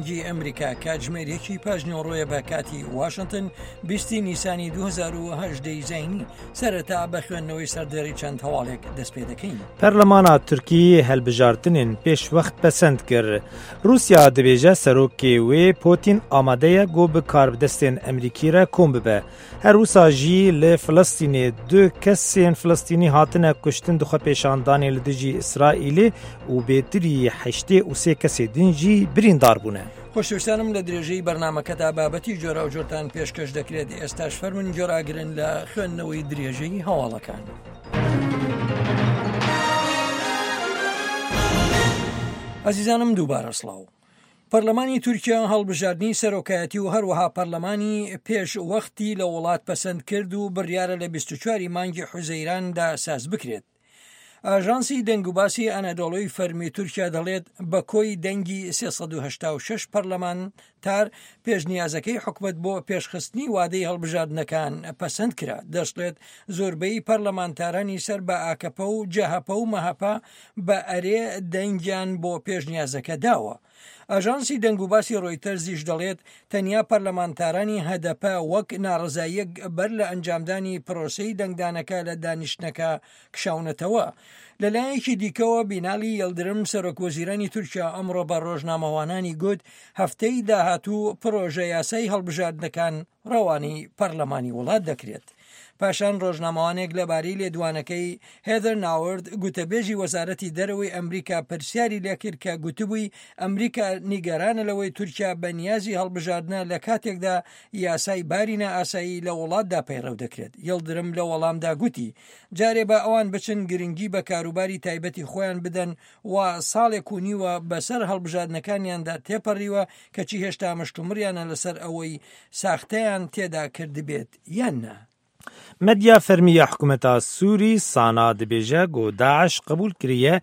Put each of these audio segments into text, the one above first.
دەنگی ئەمریکا کاتژمێر یەکی پاش نیوەڕۆیە بە کاتی واشنتن بیستی نیسانی 2010 زینی سەرەتا بە خوێندنەوەی سەردێڕی چەند هەواڵێک دەست پێ دەکەین. پەرلەمانا تورکی هەلبژارتنێن پێش وەخت پەسەند کر. ڕووسیا دبێژە سەرۆکێ وێ پۆتین ئامادەیە گۆ bi karbidestên Emrîkî re kom bibe. Her wisa jî li Filistînê du kesên Filistînî hatine kuştin di xwepêşandanê li dijî Îsraîlê û bêtirî 83 kesê din jî birîndar bûne. خۆشەویستانم لە درێژەی بەرنامەکەدا بابەتی جۆراوجۆرتان پێشکەش دەکرێت ئێستاش فەرموون گوێڕاگرن لە خوێندنەوەی درێژەی هەواڵەکان. ئازیزانم دووبارە سڵاو. پەرلەمانی تورکیا هەڵبژاردنی سەرۆکایەتی و هەروەها پەرلەمانی پێش وەختی لە وڵات پەسەند کرد و بڕیارە لە 24 مانگی حوزەیراندا ساز بکرێت. ئاژانسی دەنگوباسی ئەنەدۆڵۆی فەرمی تورکیا دەڵێت بە کۆی دەنگی 386 پەرلەمانتار پێشنیازەکەی حکومەت بۆ پێشخستنی وادەی هەڵبژاردنەکان پەسەند کرا. دەشڵێت زۆربەی پەرلەمانتارانی سەر بە ئاکەپە و جەهەپە و مەهەپە بە ئەرێ دەنگیان بۆ پێشنیازەکە داوە. ئاژانسی دەنگوباسی ڕۆیتەرزیش دەڵێت تەنیا پەرلەمانتارانی هەدەپە وەک ناڕەزاییەک بەر لە ئەنجامدانی پرۆسەی دەنگدانەکە لە دانیشتنەکە کشاونەتەوە. لەلایەکی دیکەوە بینالی یڵدرم سەرۆک وەزیرانی تورکیا ئەمڕۆ بە ڕۆژنامەوانانی گوت هەفتەی داهاتوو پڕۆژە یاسای هەڵبژاردنەکان ڕەوانەی پەرلەمانی وڵات دەکرێت. پاشان ڕۆژنامەوانێک لەبارەی لێدوانەکەی هێدەر ناورد گوتەبێژی وەزارەتی دەرەوەی ئەمریکا پرسیاری لێکرد کە گوتبووی ئەمریکا نیگەرانە لەوەی تورکیا بە نیازی هەڵبژاردنە لە کاتێکدا یاسای باری نائاسایی لە وڵاتدا پەیڕەو دەکرێت. یڵدرم لە وەڵامدا گوتی جارێ با ئەوان بچن گرنگی بە کاروباری تایبەتی خۆیان بدەن و ساڵێک و نیوە بەسەر هەڵبژاردنەکانیاندا تێپەڕیوە کەچی هێشتا مشتومڕیانە لەسەر ئەوەی ساختەیان تێدا کردبێت یان نا. مەدیا فەرمی ya hikûmeta Sûrî Sana dibêje ku DAIŞ qebûl kiriye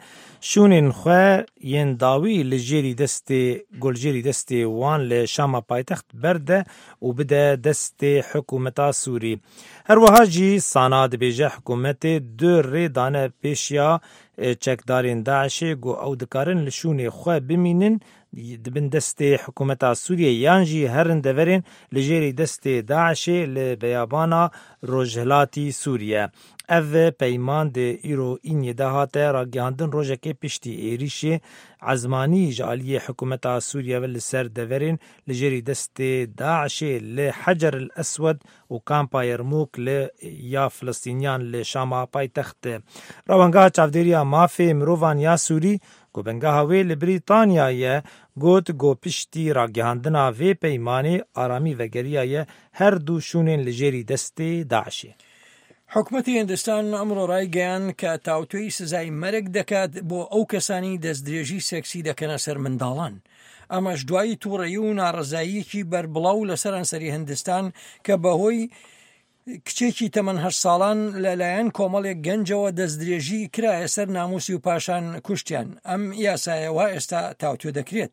şûnên xwe yên dawî li jêrî destê goljêrî destê wan li Şama paytext berde û bide destê hikûmeta Sûrî. Her wiha jî Sana dibêje hikûmetê du rê dane pêşiya çekdarên DAIŞê ku ew dikarin li şûnê xwe bimînin di bin destê hikûmeta Sûriyê yan jî herin deverên li jêrî destê DAIŞê li beyabana Rojhilatî Sûriye. Ev peyman di îro îniyê de hate ragihandin rojekê piştî êrîşê ezmanî ji aliyê hikûmeta Sûriye ve li ser deverên li jêrî destê DAIŞê li Hecer el Eswed û kampa Yermûk li ya Filistîniyan li Şama paytext. Rewangeha Çavdêriya Mafê Mirovan ya Sûrî ku bingeha wê li Brîtanya ye got ku piştî ragihandina vê peymanê aramî vegeriyaye her du şûnên li jêrî destê DAIŞê. حکومەتی هندستان ئەمڕۆ ڕایگەیاند کە تاوتوێی سزای مەرگ دەکات بۆ ئەو کەسانی دەستدرێژی سێکسی دەکەنە سەر منداڵان. ئەمەش دوای تووڕەیی و ناڕەزاییەکی بەربڵاو لە سەرانسەری هندستان کە بەهۆی کچێکی تەمەن هەشت ساڵان لەلایەن کۆمەڵێک گەنجەوە دەستدرێژی کرایە سەر ناموسی و پاشان کوشتیان ئەم یاسایە وا ئێستا تاوتوێ دەکرێت.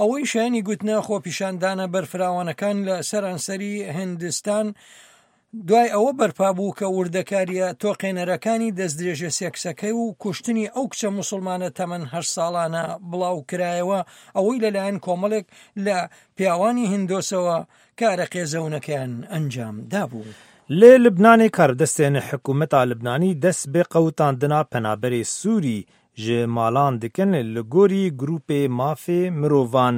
ئەوەی شایانی گوتنە خۆپیشاندانە بەرفراوانەکان لە سەرانسەری هندستان دوای ئەوە بەرپا بوو کە وردەکارییە تۆقێنەرەکانی دەستدرێژە سێکسەکەی و کوشتنی ئەو کچە موسڵمانە تەمەن هەشت ساڵانە بڵاو کرایەوە، ئەوەی لەلایەن کۆمەڵێک لە پیاوانی هندۆسەوە کارە قێزەونەکەیان ئەنجام دابوو. Li Libnanê karbidestên hikûmeta Libnanî dest bi qewitandina penaberê Sûrî ji malan dikin li gorî grûpê mafê mirovan.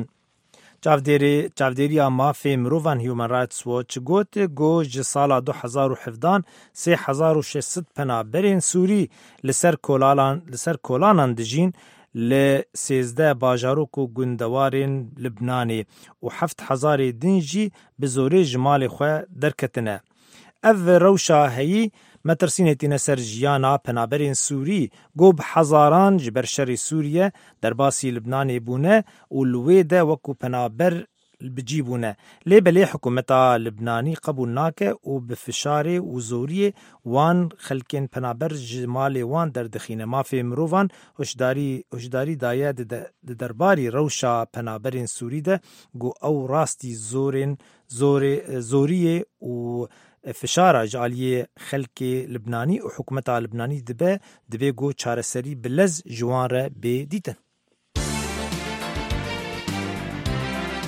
Çavdêrê Çavdêriya Mafê Mirovan Human Rights Watch got ku ji sala 2017 3600 penaberên Sûrî li ser kolalan li ser kolanan dijîn li 13 bajarok û gundewarên Libnanê û 7000ê din jî bi zorê ji malê xwe derketine. Ev rewşa heyî metirsînê tîne ser jiyana penaberên Sûrî ku bi hezaran ji ber şerê Sûriye derbasî Libnanê bûne û li wê de wekû penaber bi cî bûne. Lê belê hikûmeta Libnanî qebûl nake û bi fişarê û zoriyê wan xelkên penaber ji malê wan derdixîne. Mafê mirovan hişdarî hişdarî daye di derbarî rewşa penaberên Sûrî de ku ew rastî zorên zorê zoriyê û fişara ji aliyê xelkê Libnanî û hikûmeta Libnanî dibe, divê ku çareserî bi lez ji wan re bê dîtin.